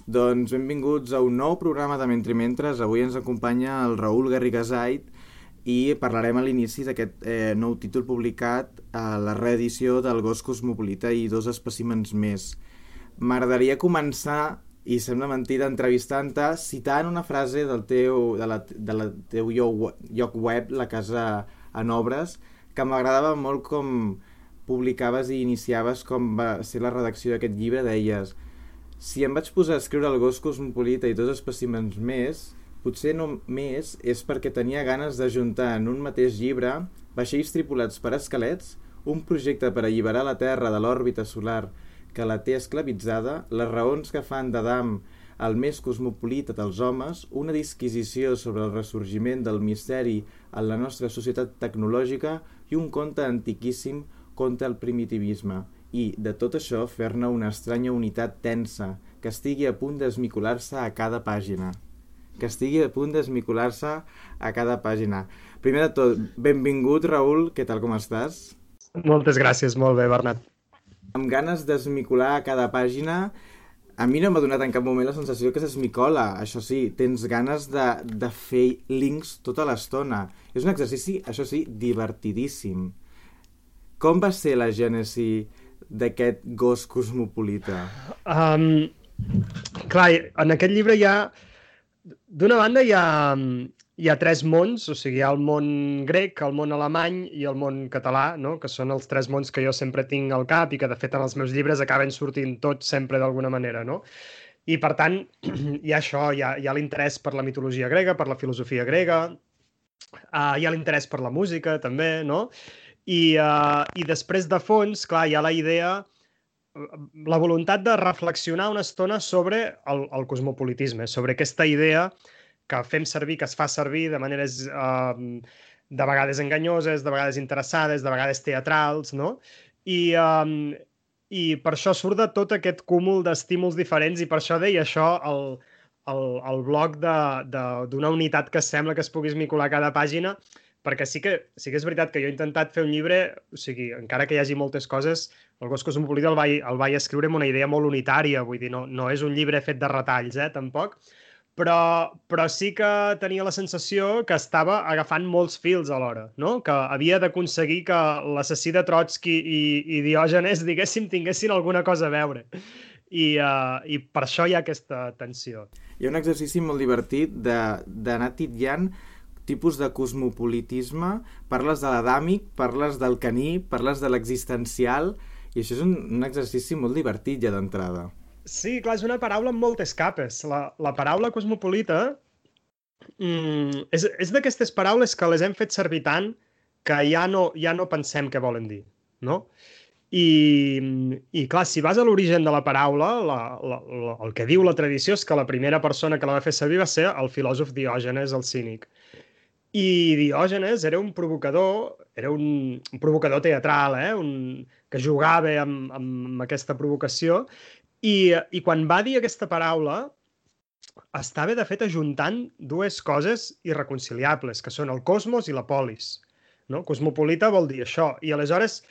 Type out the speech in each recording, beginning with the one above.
Doncs benvinguts a un nou programa de Mentre Mentres. Avui ens acompanya el Raül Garrigasait i parlarem a l'inici d'aquest nou títol publicat a la reedició del Gos Cosmopolita i dos espècimens més. M'agradaria començar, i sembla mentida, entrevistant-te, citant una frase del teu lloc web, La Casa en Obres, que m'agradava molt com publicaves i iniciaves com va ser la redacció d'aquest llibre. Deies: si em vaig posar a escriure el Gos Cosmopolita i dos espècimens més, potser només és perquè tenia ganes d'ajuntar en un mateix llibre vaixells tripulats per esquelets, un projecte per alliberar la Terra de l'òrbita solar que la té esclavitzada, les raons que fan d'Adam el més cosmopolita dels homes, una disquisició sobre el ressorgiment del misteri en la nostra societat tecnològica i un conte antiquíssim contra el primitivisme. I, de tot això, fer-ne una estranya unitat tensa, que estigui a punt d'esmicolar-se a cada pàgina. Primer de tot, benvingut, Raül, què tal, com estàs? Moltes gràcies, molt bé, Bernat. Amb ganes d'esmicolar a cada pàgina, a mi no m'ha donat en cap moment la sensació que s'esmicola. Això sí, tens ganes de fer links tota l'estona. És un exercici, això sí, divertidíssim. Com va ser la gènesi d'aquest Gos Cosmopolita? Clar, en aquest llibre d'una banda hi ha tres mons, o sigui, hi ha el món grec, el món alemany i el món català, no? Que són els tres mons que jo sempre tinc al cap i que, de fet, en els meus llibres acaben sortint tots sempre d'alguna manera, no? I, per tant, hi ha això, hi ha l'interès per la mitologia grega, per la filosofia grega, hi ha l'interès per la música, també, no? I després, de fons, clar, hi ha la idea, la voluntat de reflexionar una estona sobre el cosmopolitisme, sobre aquesta idea que fem servir, que es fa servir de maneres de vegades enganyoses, de vegades interessades, de vegades teatrals, no? I per això surt de tot aquest cúmul d'estímuls diferents, i per això deia això el bloc d'una unitat que sembla que es pugui esmicolar cada pàgina, perquè sí que és veritat que jo he intentat fer un llibre, o sigui, encara que hi hagi moltes coses, el Gos Cosmopolita el vaig escriure amb una idea molt unitària, vull dir, no és un llibre fet de retalls, tampoc, però sí que tenia la sensació que estava agafant molts fils alhora, no? Que havia d'aconseguir que l'assassí de Trotsky i Diògenes, diguéssim, tinguessin alguna cosa a veure. I per això hi ha aquesta tensió. Hi ha un exercici molt divertit d'anar titllant tipus de cosmopolitisme. Parles de l'adàmic, parles del caní, parles de l'existencial, i això és un exercici molt divertit ja d'entrada. Sí, clar, és una paraula amb moltes capes. La paraula cosmopolita és d'aquestes paraules que les hem fet servir tant que ja no pensem què volen dir, no? I clar, si vas a l'origen de la paraula, el que diu la tradició és que la primera persona que la va fer servir va ser el filòsof Diògenes, el cínic. I Diògenes era un provocador teatral, que jugava amb aquesta provocació, i quan va dir aquesta paraula estava, de fet, ajuntant dues coses irreconciliables, que són el cosmos i la polis, no? Cosmopolita vol dir això, i aleshores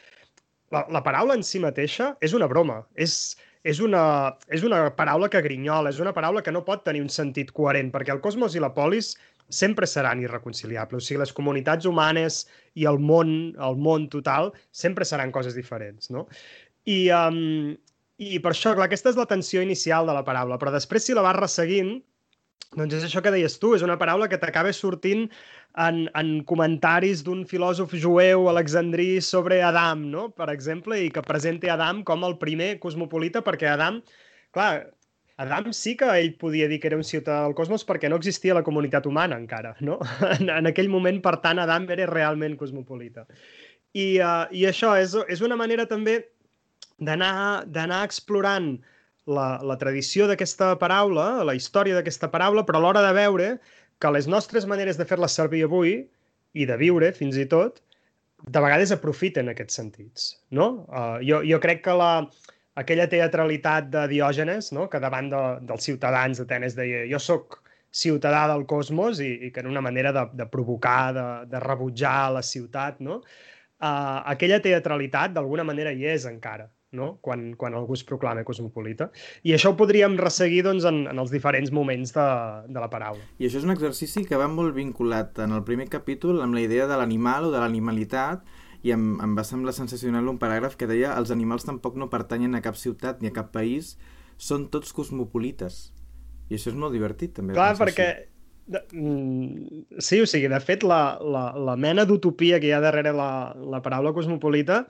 la paraula en si mateixa és una broma, és una paraula que grinyola, és una paraula que no pot tenir un sentit coherent, perquè el cosmos i la polis sempre seran irreconciliables. O sigui, les comunitats humanes i el món total sempre seran coses diferents, no? I per això, clar, aquesta és la tensió inicial de la paraula, però després, si la vas resseguint, doncs és això que deies tu, és una paraula que t'acaba sortint en comentaris d'un filòsof jueu alexandrí sobre Adam, no? Per exemple, i que presenta Adam com el primer cosmopolita, perquè Adam sí que ell podia dir que era un ciutadà del cosmos perquè no existia la comunitat humana encara, no? En aquell moment, per tant, Adam era realment cosmopolita. I això és una manera també d'anar explorant la tradició d'aquesta paraula, la història d'aquesta paraula, però a l'hora de veure que les nostres maneres de fer-la servir avui, i de viure, fins i tot, de vegades aprofiten aquests sentits, no? Jo crec que aquella teatralitat de Diògenes, no? Que davant dels ciutadans d'Atenes deia jo sóc ciutadà del cosmos, i que era una manera de provocar, de rebutjar la ciutat, no? Aquella teatralitat d'alguna manera hi és encara. no? Quan algú es proclama cosmopolita. I això ho podríem resseguir doncs, en els diferents moments de la paraula. I això és un exercici que va molt vinculat en el primer capítol amb la idea de l'animal o de l'animalitat, i em va semblar sensacional un paràgraf que deia: els animals tampoc no pertanyen a cap ciutat ni a cap país, són tots cosmopolites. I això és molt divertit, també. Clar, perquè... Sí, o sigui, de fet, la mena d'utopia que hi ha darrere la paraula cosmopolita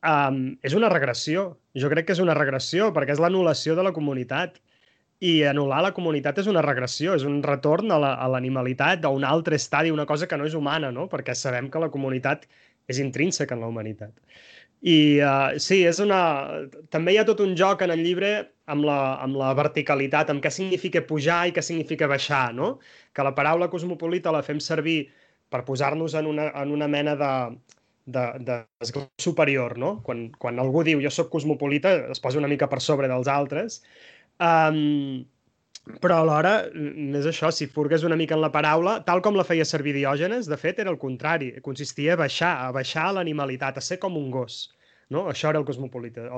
és una regressió. Jo crec que és una regressió, perquè és l'anul·lació de la comunitat. I anul·lar la comunitat és una regressió, és un retorn a l'animalitat, a un altre estadi, una cosa que no és humana, no? Perquè sabem que la comunitat és intrínseca en la humanitat. I sí, també hi ha tot un joc en el llibre amb la verticalitat, amb què significa pujar i què significa baixar, no? Que la paraula cosmopolita la fem servir per posar-nos en una mena d'esglaó superior, no? Quan algú diu jo sóc cosmopolita, es posa una mica per sobre dels altres. Però alhora, és això, si furgues una mica en la paraula, tal com la feia servir Diògenes, de fet, era el contrari. Consistia a baixar l'animalitat, a ser com un gos. No? Això era el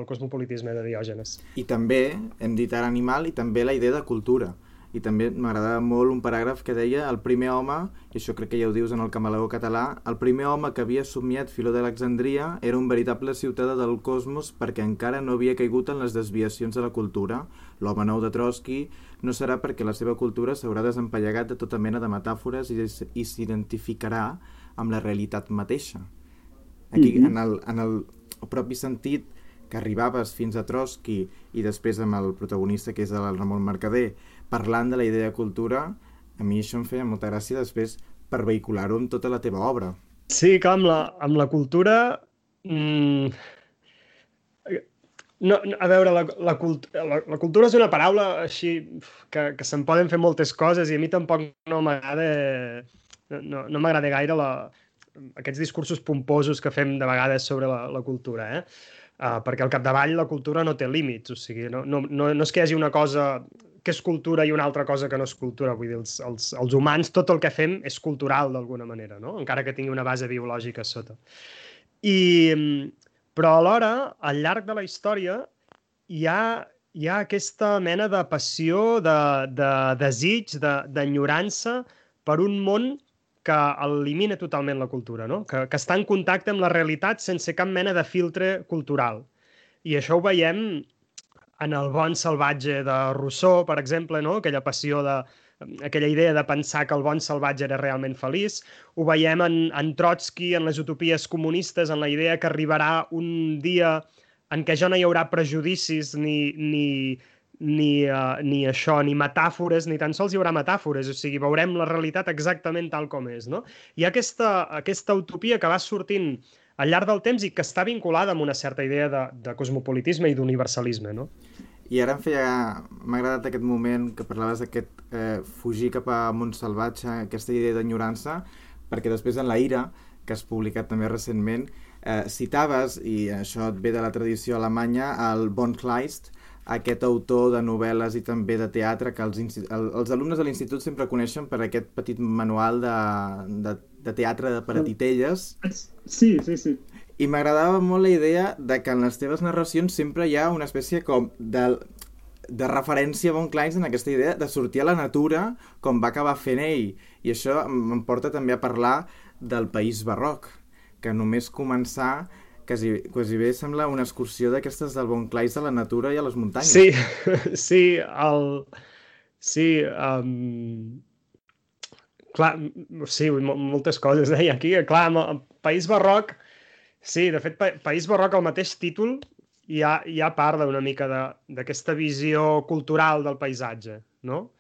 cosmopolitisme de Diògenes. I també, hem dit ara animal, i també la idea de cultura. I també m'agradava molt un paràgraf que deia: el primer home, i això crec que ja ho dius en el Camaleó català, el primer home que havia somiat Filó d'Alexandria era un veritable ciutadà del cosmos perquè encara no havia caigut en les desviacions de la cultura. L'home nou de Trotsky no serà perquè la seva cultura s'haurà desempallegat de tota mena de metàfores i s'identificarà amb la realitat mateixa. Aquí, en el propi sentit que arribaves fins a Trotsky i després amb el protagonista, que és el Ramon Mercader, parlant de la idea de cultura, a mi això em feia molta gràcia després per vehicular-ho amb tota la teva obra. Sí, clar, amb la cultura... No, a veure, la cultura és una paraula així que se'n poden fer moltes coses i a mi tampoc no m'agrada gaire aquests discursos pomposos que fem de vegades sobre la cultura, perquè al capdavall la cultura no té límits, o sigui, no és que hi hagi una cosa que és cultura i una altra cosa que no és cultura, vull dir, els humans tot el que fem és cultural d'alguna manera, no? Encara que tingui una base biològica a sota. Però alhora, al llarg de la història, hi ha aquesta mena de passió, de desig, d'enyorança per un món que elimina totalment la cultura, no? Que està en contacte amb la realitat sense cap mena de filtre cultural. I això ho veiem en el Bon salvatge de Rousseau, per exemple, no? Aquella idea de pensar que el bon salvatge era realment feliç. Ho veiem en Trotsky, en les utopies comunistes, en la idea que arribarà un dia en què ja no hi haurà prejudicis ni això, ni metàfores, ni tan sols hi haurà metàfores, o sigui, veurem la realitat exactament tal com és, no? Hi ha aquesta utopia que va sortint al llarg del temps i que està vinculada amb una certa idea de cosmopolitisme i d'universalisme, no? I ara m'ha agradat aquest moment que parlaves d'aquest fugir cap a Montsalvatge, aquesta idea d'enyorança, perquè després en La ira, que has publicat també recentment, citaves, i això et ve de la tradició alemanya, el von Kleist, aquest autor de novel·les i també de teatre que els alumnes de l'institut sempre coneixen per aquest petit manual de teatre per a titelles. Sí. I m'agradava molt la idea de que en les teves narracions sempre hi ha una espècie com de referència a von Kleist en aquesta idea de sortir a la natura com va acabar fent ell. I això em porta també a parlar del País Barroc, que només començar quasi bé sembla una excursió d'aquestes del von Kleist a la natura i a les muntanyes. Clar, sí, moltes coses aquí. Clar, el País Barroc, sí, de fet, País Barroc, al mateix títol, ja parla una mica d'aquesta visió cultural del paisatge, no?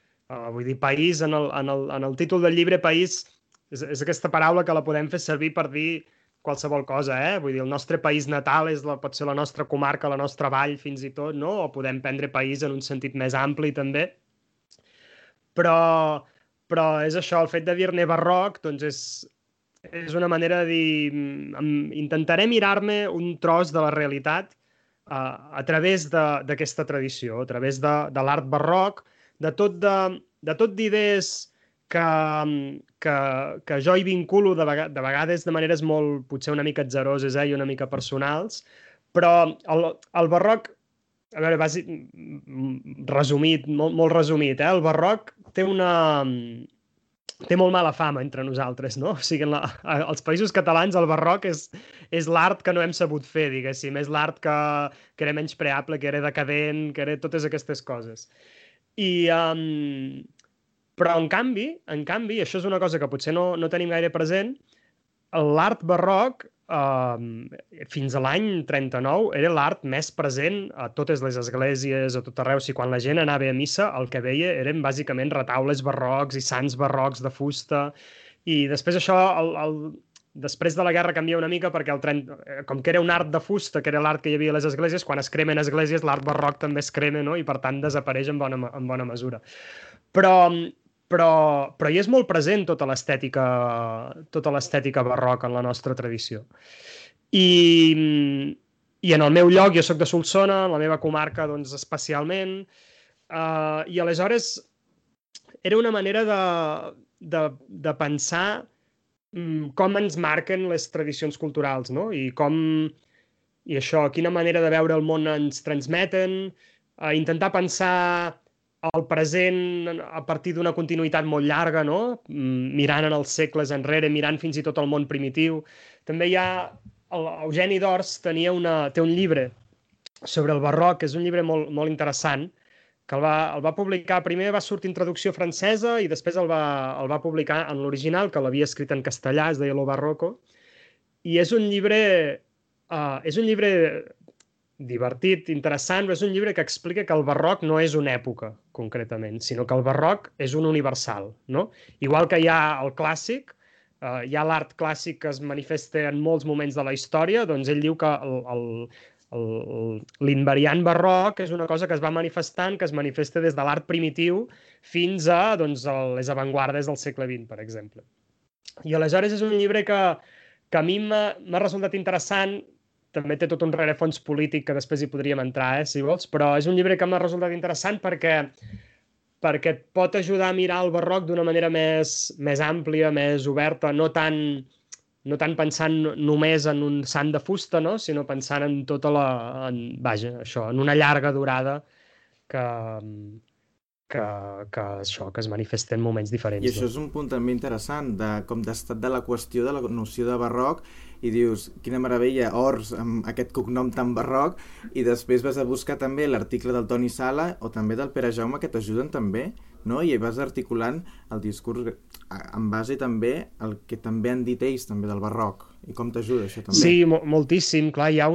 Vull dir, país, en el títol del llibre, país, és aquesta paraula que la podem fer servir per dir qualsevol cosa, Vull dir, el nostre país natal pot ser la nostra comarca, la nostra vall, fins i tot, no? O podem prendre país en un sentit més ampli, també. Però és això, el fet de dir-ne barroc, doncs és una manera de dir... Intentaré mirar-me un tros de la realitat a través d'aquesta tradició, a través de l'art barroc, de tot d'idees que jo hi vinculo de vegades de maneres molt, potser una mica atzeroses i una mica personals, Però el barroc, a veure, resumit, molt resumit, el barroc té molt mala fama entre nosaltres, no? O sigui, als països catalans el barroc és l'art que no hem sabut fer, diguéssim. És l'art que era menyspreable, que era decadent, que era totes aquestes coses. Però en canvi, això és una cosa que potser no tenim gaire present, l'art barroc, fins a l'any 39, era l'art més present a totes les esglésies, a tot arreu. O sigui, quan la gent anava a missa, el que veia eren bàsicament retaules barrocs i sants barrocs de fusta. I després això, després de la guerra canvia una mica perquè com que era un art de fusta, que era l'art que hi havia a les esglésies, quan es cremen esglésies, l'art barroc també es crema, no? I per tant desapareix en bona mesura. Però hi és molt present tota l'estètica barroca en la nostra tradició. I en el meu lloc, jo sóc de Solsona, en la meva comarca doncs, especialment, i aleshores era una manera de pensar com ens marquen les tradicions culturals, no? I quina manera de veure el món ens transmeten, intentar pensar el present a partir d'una continuïtat molt llarga, no? Mirant en els segles enrere, mirant fins i tot el món primitiu. També hi ha... Eugeni d'Ors té un llibre sobre el barroc, que és un llibre molt, molt interessant, que el va publicar, primer va sortir en traducció francesa i després el va publicar en l'original, que l'havia escrit en castellà, es deia Lo Barroco, i és un llibre divertit, interessant, però és un llibre que explica que el barroc no és una època, concretament, sinó que el barroc és un universal, no? Igual que hi ha el clàssic, hi ha l'art clàssic que es manifesta en molts moments de la història, doncs ell diu que l'invariant barroc és una cosa que es va manifestant, que es manifesta des de l'art primitiu fins a les avantguardes del segle XX, per exemple. I aleshores és un llibre que a mi m'ha resultat interessant. També té tot un rerefons polític que després hi podríem entrar, si vols, però és un llibre que m'ha resultat interessant perquè et pot ajudar a mirar el barroc d'una manera més àmplia, més oberta, no tant pensant només en un sant de fusta, no? Sinó pensant en tota en una llarga durada que es manifesta en moments diferents. I això és un punt també interessant, com d'estat de la qüestió de la noció de barroc, i dius, quina meravella, Ors, amb aquest cognom tan barroc, i després vas a buscar també l'article del Toni Sala o també del Pere Jaume, que t'ajuden també, no? I vas articulant el discurs en base també al que també han dit ells també del barroc. I com t'ajuda això també? Sí, moltíssim. Clar, hi ha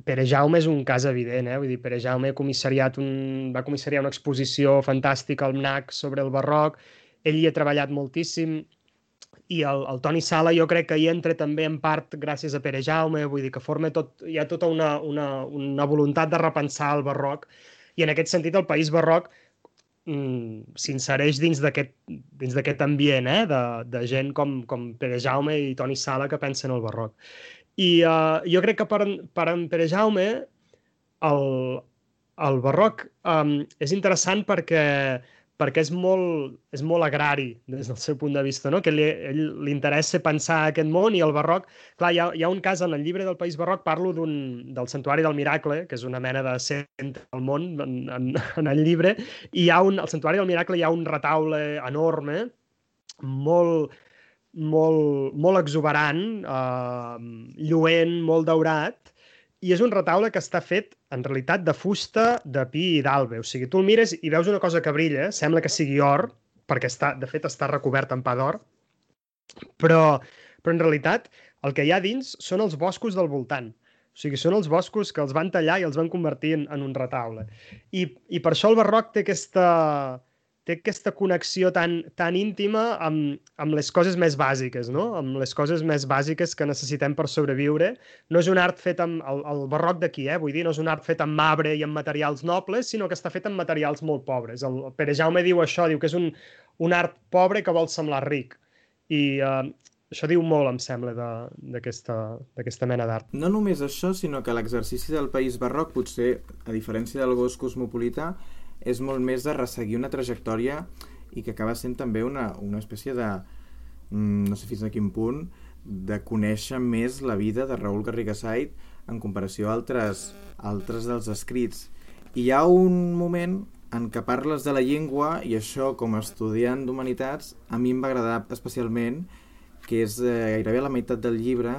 Pere Jaume és un cas evident, Vull dir, Pere Jaume va comissariar una exposició fantàstica al MNAC sobre el barroc. Ell hi ha treballat moltíssim. I el Toni Sala jo crec que hi entra també en part gràcies a Pere Jaume, vull dir que hi ha tota una voluntat de repensar el barroc, i en aquest sentit el país barroc s'insereix dins d'aquest ambient de gent com Pere Jaume i Toni Sala que pensen el barroc. I jo crec que per en Pere Jaume el barroc és interessant perquè és molt agrari des del seu punt de vista, no? Que li interessa pensar aquest món, i el barroc... Clar, hi ha un cas en el llibre del País Barroc, parlo del Santuari del Miracle, que és una mena de centre del món en el llibre, i al Santuari del Miracle hi ha un retaule enorme, molt, molt, molt exuberant, lluent, molt daurat, i és un retaule que està fet, en realitat, de fusta, de pi i d'albe. O sigui, tu el mires i veus una cosa que brilla, sembla que sigui or, perquè de fet està recobert en pa d'or, però en realitat el que hi ha dins són els boscos del voltant. O sigui, són els boscos que els van tallar i els van convertir en un retaule. I per això el barroc té aquesta connexió tan íntima amb les coses més bàsiques, no? Amb les coses més bàsiques que necessitem per sobreviure. No és un art fet amb el barroc d'aquí, vull dir, no és un art fet amb marbre i amb materials nobles, sinó que està fet amb materials molt pobres. El Pere Jaume diu això, diu que és un art pobre que vol semblar ric. I això diu molt, em sembla, d'aquesta mena d'art. No només això, sinó que l'exercici del país barroc, potser, a diferència del gos cosmopolità, és molt més de resseguir una trajectòria i que acaba sent també una espècie de, no sé fins a quin punt, de conèixer més la vida de Raül Garrigasait en comparació a altres dels escrits. I hi ha un moment en què parles de la llengua, i això, com a estudiant d'humanitats, a mi em va agradar especialment, que és gairebé a la meitat del llibre,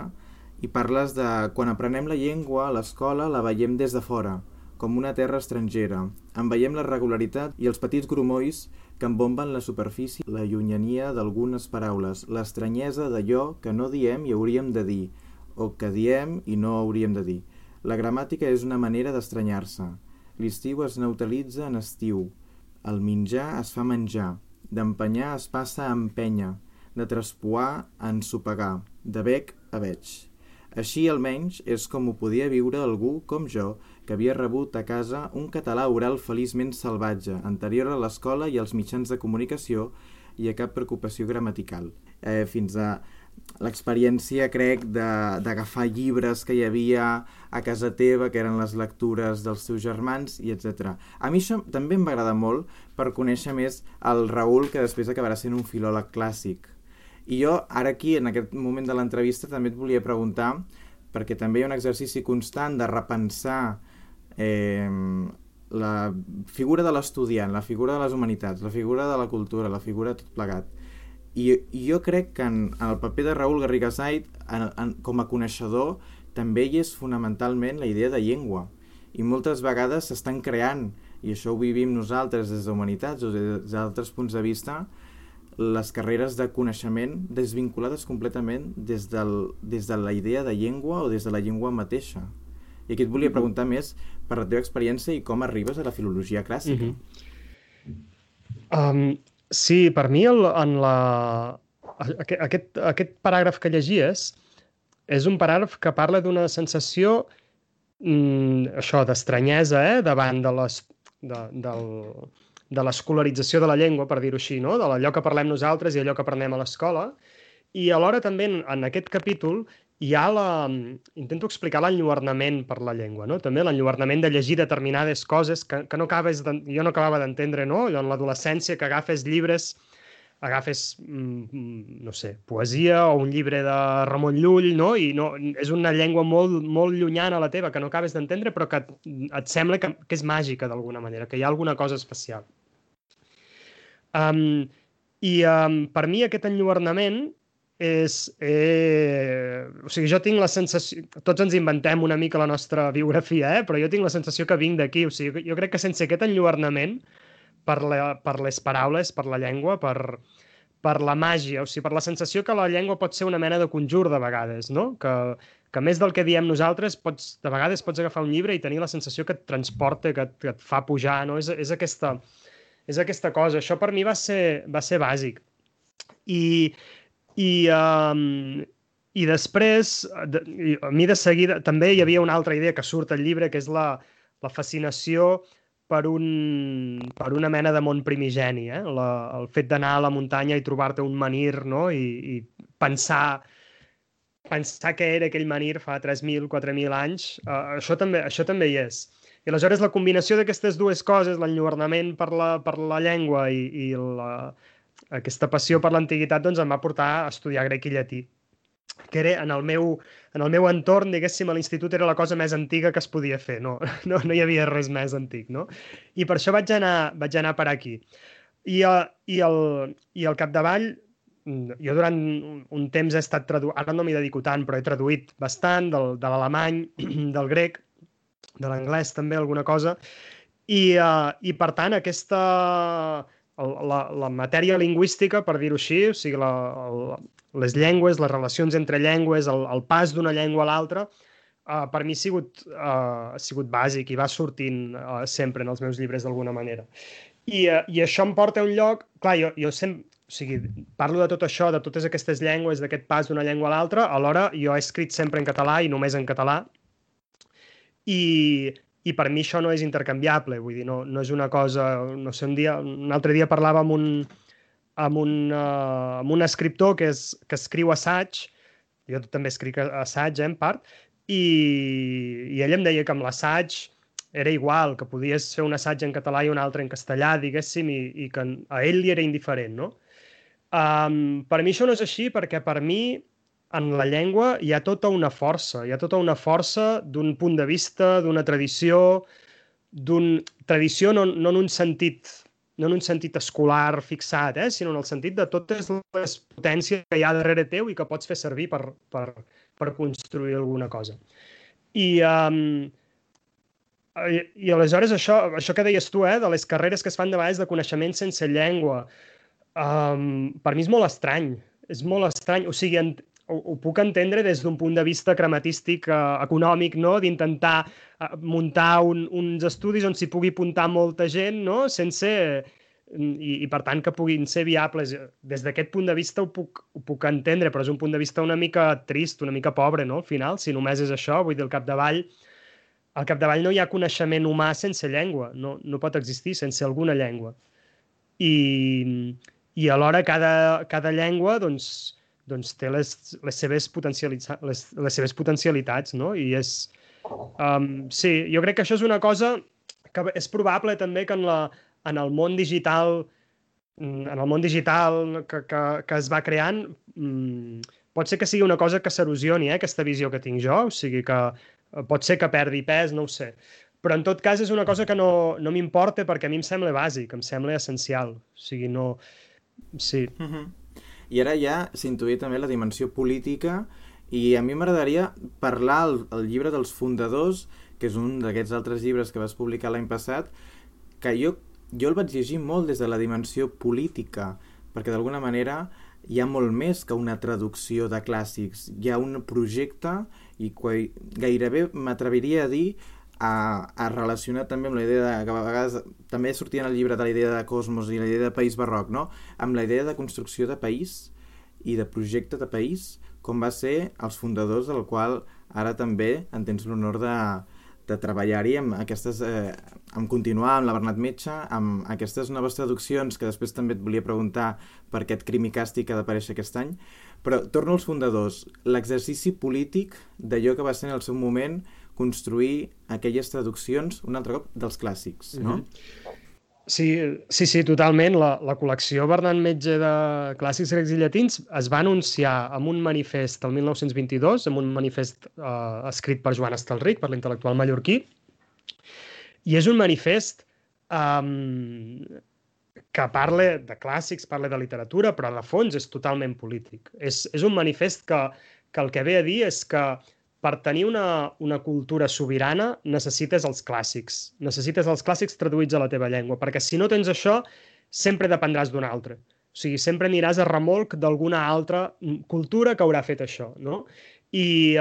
i parles de quan aprenem la llengua a l'escola la veiem des de fora, com una terra estrangera. En veiem la regularitat i els petits grumolls que embomben la superfície, la llunyania d'algunes paraules, l'estranyesa d'allò que no diem i hauríem de dir, o que diem i no hauríem de dir. La gramàtica és una manera d'estranyar-se. L'estiu es neutralitza en estiu. El menjar es fa menjar. D'empenyar es passa a empènyer. De traspoar a ensopegar. De bec a veig. Així, almenys, és com ho podia viure algú com jo, que havia rebut a casa un català oral feliçment salvatge, anterior a l'escola i als mitjans de comunicació i a cap preocupació gramatical. Fins a l'experiència, crec, d'agafar llibres que hi havia a casa teva, que eren les lectures dels teus germans, i etc. A mi això també em va agradar molt per conèixer més el Raül, que després acabarà sent un filòleg clàssic. I jo, ara aquí, en aquest moment de l'entrevista, també et volia preguntar, perquè també hi ha un exercici constant de repensar la figura de l'estudiant, la figura de les humanitats, la figura de la cultura, la figura de tot plegat. I jo crec que en el paper de Raül Garrigasait, com a coneixedor, també hi és fonamentalment la idea de llengua. I moltes vegades s'estan creant, i això ho vivim nosaltres des d'humanitats o des d'altres punts de vista, les carreres de coneixement desvinculades completament des de la idea de llengua o des de la llengua mateixa. I aquí et volia preguntar més per la teva experiència i com arribes a la filologia clàssica. Sí, per mi aquest paràgraf que llegies és un paràgraf que parla d'una sensació això d'estranyesa davant de l'escolarització de la llengua, per dir-ho així, no? De allò que parlem nosaltres i allò que aprenem a l'escola. I alhora també en aquest capítol hi ha intento explicar l'enlluernament per la llengua, no? També l'enlluernament de llegir determinades coses que no jo no acabava d'entendre, no? Allò en l'adolescència, que agafes llibres, no sé, poesia o un llibre de Ramon Llull, no? I no, és una llengua molt, molt llunyana a la teva, que no acabes d'entendre, però que et sembla que és màgica d'alguna manera, que hi ha alguna cosa especial. Per mi aquest enlluernament o sigui, jo tinc la sensació, tots ens inventem una mica la nostra biografia, però jo tinc la sensació que vinc d'aquí, o sigui, jo crec que sense aquest enlluernament per les paraules, per la llengua, per la màgia, o sigui, per la sensació que la llengua pot ser una mena de conjur de vegades, no? Que més del que diem nosaltres, de vegades pots agafar un llibre i tenir la sensació que et transporta, que et fa pujar, no? És aquesta cosa. Això per mi va ser bàsic. I després, a mi de seguida, també hi havia una altra idea que surt al llibre, que és la fascinació per una mena de món primigeni, el fet d'anar a la muntanya i trobar-te un menhir, no? I pensar què era aquell menhir fa 3.000, 4.000 anys, això també hi és. I aleshores la combinació d'aquestes dues coses, l'enlluernament per la llengua i aquesta passió per l'antiguitat, doncs em va portar a estudiar grec i llatí, que era en el meu entorn, diguéssim, a l'institut era la cosa més antiga que es podia fer, no hi havia res més antic, no? I per això vaig anar per aquí. I al capdavall, jo durant un temps he estat traduint, ara no m'hi dedico tant, però he traduït bastant de l'alemany, del grec, de l'anglès també, alguna cosa, i per tant la matèria lingüística, per dir-ho així, o sigui, les llengües, les relacions entre llengües, el pas d'una llengua a l'altra, per mi ha sigut bàsic i va sortint sempre en els meus llibres d'alguna manera. I això em porta a un lloc... Clar, jo sempre... O sigui, parlo de tot això, de totes aquestes llengües, d'aquest pas d'una llengua a l'altra, alhora jo he escrit sempre en català i només en català, i per mi això no és intercanviable, vull dir, no és una cosa... No sé, un altre dia parlava amb un escriptor que escriu assaig, jo també escric assaig, en part, i ell em deia que amb l'assaig era igual, que podies fer un assaig en català i un altre en castellà, diguéssim, i que a ell li era indiferent, no? Per mi això no és així, perquè per mi en la llengua hi ha tota una força, d'un punt de vista, d'una tradició, tradició no en un sentit escolar fixat, sinó en el sentit de totes les potències que hi ha darrere teu i que pots fer servir per construir alguna cosa. I aleshores això que deies tu, de les carreres que es fan de vegades de coneixement sense llengua, per mi és molt estrany. És molt estrany. O sigui, ho puc entendre des d'un punt de vista crematístic, econòmic, no? D'intentar muntar uns estudis on s'hi pugui apuntar molta gent, no? I per tant que puguin ser viables. Des d'aquest punt de vista ho puc entendre, però és un punt de vista una mica trist, una mica pobre, no? Al final, si només és això, vull dir, al capdavall no hi ha coneixement humà sense llengua, no pot existir sense alguna llengua. I alhora cada llengua doncs té les seves potencialitats, no? I sí, jo crec que això és una cosa que és probable també que en el món digital que es va creant, pot ser que sigui una cosa que s'erosioni, aquesta visió que tinc jo, o sigui que pot ser que perdi pes, no ho sé. Però en tot cas és una cosa que no m'importa perquè a mi em sembla bàsic, em sembla essencial. O sigui, no... Sí. I ara ja s'intuïa també la dimensió política i a mi m'agradaria parlar el llibre dels fundadors, que és un d'aquests altres llibres que vas publicar l'any passat, que jo el vaig llegir molt des de la dimensió política, perquè d'alguna manera hi ha molt més que una traducció de clàssics. Hi ha un projecte i gairebé m'atreviria a dir a relacionar també amb la idea que a vegades també sortia en el llibre de la idea de cosmos i la idea de país barroc, no? Amb la idea de construcció de país i de projecte de país, com va ser els fundadors, del qual ara també en tens l'honor de treballar-hi amb amb continuar amb la Bernat Metge, amb aquestes noves traduccions, que després també et volia preguntar per aquest Crim i Càstig que ha d'aparèixer aquest any. Però torno als fundadors, l'exercici polític d'allò que va ser en el seu moment construir aquelles traduccions, un altre cop, dels clàssics, no? Sí, totalment. La col·lecció Bernat Metge de clàssics grecs i llatins es va anunciar amb un manifest el 1922, amb un manifest escrit per Joan Estelric, per l'intel·lectual mallorquí, i és un manifest que parla de clàssics, parla de literatura, però de fons és totalment polític. És un manifest que el que ve a dir és que per tenir una cultura sobirana necessites els clàssics. Necessites els clàssics traduïts a la teva llengua, perquè si no tens això, sempre dependràs d'un altre. O sigui, sempre aniràs a remolc d'alguna altra cultura que haurà fet això, no? I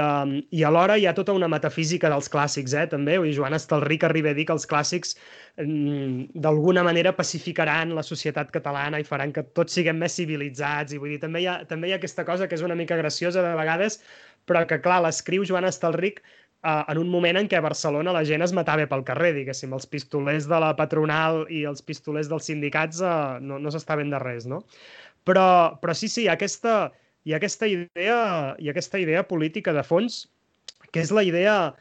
alhora hi ha tota una metafísica dels clàssics, també. Joan Estelric arriba a dir que els clàssics d'alguna manera pacificaran la societat catalana i faran que tots siguem més civilitzats. I vull dir, també hi ha aquesta cosa que és una mica graciosa de vegades, però que, clar, l'escriu Joan Estelric en un moment en què a Barcelona la gent es matava pel carrer, diguéssim. Els pistolers de la patronal i els pistolers dels sindicats no s'estaven de res, no? Però sí, hi ha aquesta idea política de fons, que és la idea,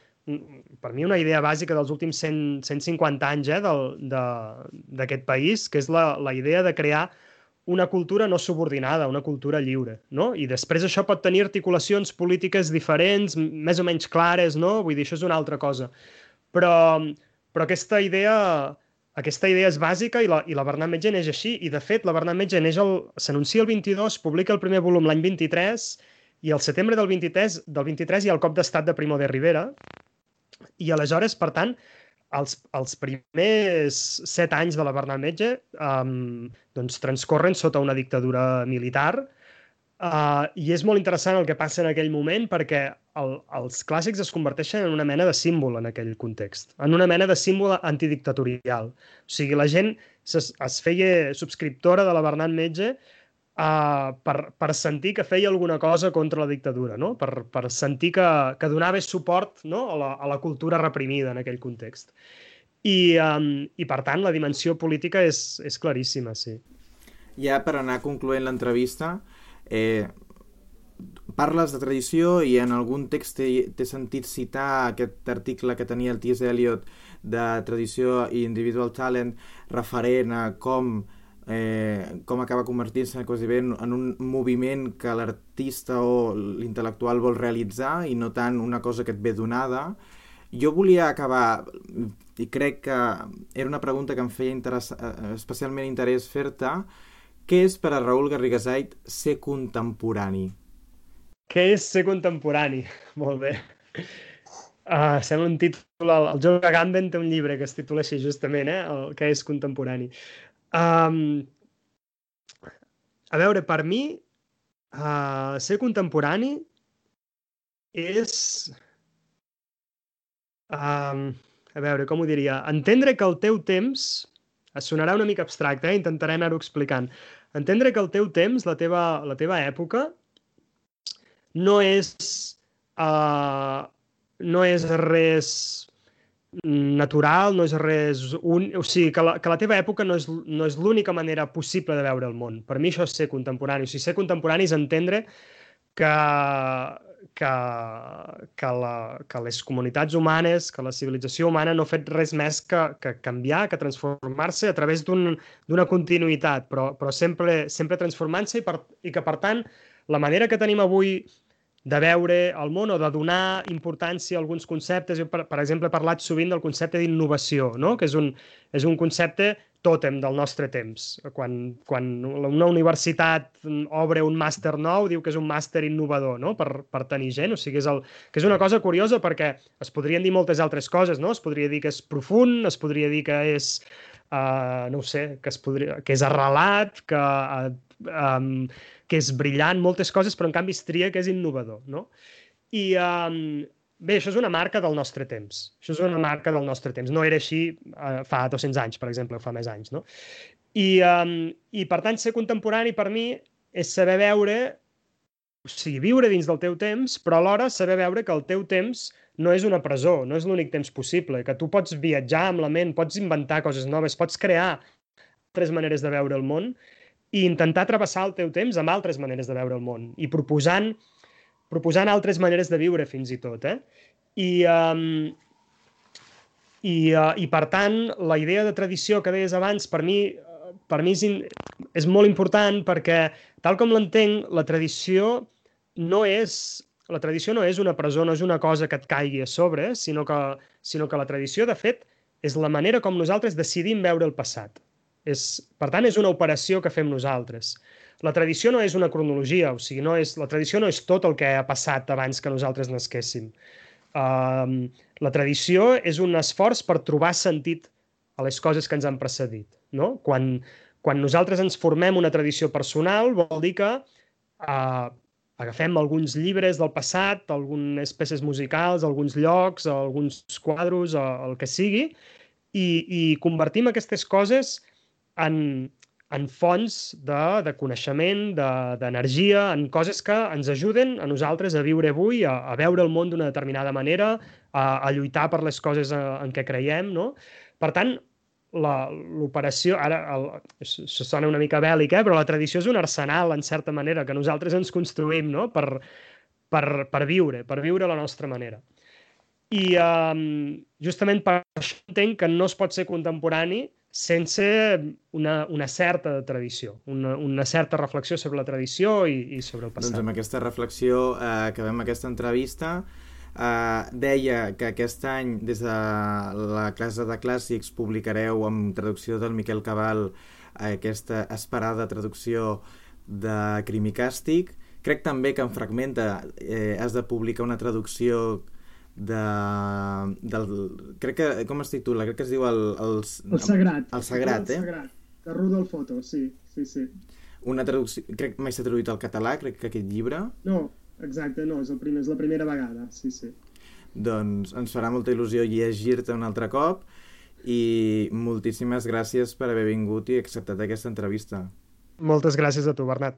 per mi una idea bàsica dels últims 150 anys d'aquest país, que és la idea de crear una cultura no subordinada, una cultura lliure, no? I després això pot tenir articulacions polítiques diferents, més o menys clares, no? Vull dir, això és una altra cosa. Però aquesta idea és bàsica i la Bernat Metge neix així. I, de fet, la Bernat Metge s'anuncia el 22, publica el primer volum l'any 23, i al setembre del 23 hi ha el cop d'estat de Primo de Rivera, i aleshores, per tant, els primers 7 anys de la Bernat Metge doncs transcorren sota una dictadura militar, i és molt interessant el que passa en aquell moment perquè els clàssics es converteixen en una mena de símbol en aquell context, en una mena de símbol antidictatorial. O sigui, la gent es feia subscriptora de la Bernat Metge per sentir que feia alguna cosa contra la dictadura, no? Per sentir que donava suport, no? a la cultura reprimida en aquell context. I per tant, la dimensió política és claríssima, sí. Ja per anar concloent l'entrevista, parles de tradició i en algun text t'he sentit citar aquest article que tenia el T.S. Eliot de tradició i individual talent referent a com com acaba convertint-se quasi bé en un moviment que l'artista o l'intel·lectual vol realitzar i no tant una cosa que et ve donada. Jo volia acabar, i crec que era una pregunta que em feia especialment interès fer-te, què és per a Raül Garrigasait ser contemporani? Què és ser contemporani? Molt bé. Sembla un títol... El John Agamben té un llibre que es titula així, justament, el que és contemporani. A veure, per mi, ser contemporani és... a veure, com ho diria? Entendre que el teu temps... Sonarà una mica abstracte, intentaré anar-ho explicant. Entendre que el teu temps, la teva època, no és res natural, no és res... O sigui, que la teva època no és l'única manera possible de veure el món. Per mi això és ser contemporani. O sigui, ser contemporani és entendre que les comunitats humanes, que la civilització humana no ha fet res més que canviar, que transformar-se a través d'una continuïtat, però sempre transformant-se i que, per tant, la manera que tenim avui de veure el món o de donar importància a alguns conceptes. Jo, per exemple, he parlat sovint del concepte d'innovació, no? Que és un concepte tòtem del nostre temps. Quan una universitat obre un màster nou, diu que és un màster innovador, no? Per tenir gent. O sigui, que és una cosa curiosa perquè es podrien dir moltes altres coses, no? Es podria dir que és profund, es podria dir que és, no ho sé, que és arrelat, que és brillant, moltes coses, però en canvi es tria que és innovador, no? I bé, això és una marca del nostre temps. Això és una marca del nostre temps. No era així fa 200 anys, per exemple, o fa més anys, no? I per tant, ser contemporani per mi és saber veure, o sigui, viure dins del teu temps, però alhora saber veure que el teu temps no és una presó, no és l'únic temps possible, que tu pots viatjar amb la ment, pots inventar coses noves, pots crear altres maneres de veure el món i intentar travessar el teu temps amb altres maneres de veure el món i proposant altres maneres de viure, fins i tot. I per tant, la idea de tradició que deies abans, per mi és molt important perquè, tal com l'entenc, la tradició no és una presó, no és una cosa que et caigui a sobre, sinó que la tradició, de fet, és la manera com nosaltres decidim veure el passat. Per tant, és una operació que fem nosaltres. La tradició no és una cronologia, o sigui, la tradició no és tot el que ha passat abans que nosaltres nasquéssim. La tradició és un esforç per trobar sentit a les coses que ens han precedit, no? Quan nosaltres ens formem una tradició personal, vol dir que agafem alguns llibres del passat, algunes peces musicals, alguns llocs, alguns quadros, el que sigui, i convertim aquestes coses en fonts de coneixement, d'energia, en coses que ens ajuden a nosaltres a viure avui, a veure el món d'una determinada manera, a lluitar per les coses en què creiem, no? Per tant, l'operació, ara això sona una mica bèl·lic, però la tradició és un arsenal, en certa manera, que nosaltres ens construïm, no? Per viure la nostra manera. I justament per això entenc que no es pot ser contemporani sense una certa tradició, una certa reflexió sobre la tradició i sobre el passat. Doncs amb aquesta reflexió acabem aquesta entrevista. Deia que aquest any des de la Casa de Clàssics publicareu amb traducció del Miquel Cabal aquesta esperada traducció de Crim i Càstig. Crec també que en Fragmenta has de publicar una traducció crec que, com es titula? Crec que es diu El Sagrat. El Sagrat, El Sagrat, de Rudolf Otto, sí. Una traducció, crec que mai s'ha traduït al català, crec que aquest llibre. No, exacte, no, és la primera vegada, sí. Doncs ens farà molta il·lusió llegir-te un altre cop i moltíssimes gràcies per haver vingut i acceptat aquesta entrevista. Moltes gràcies a tu, Bernat.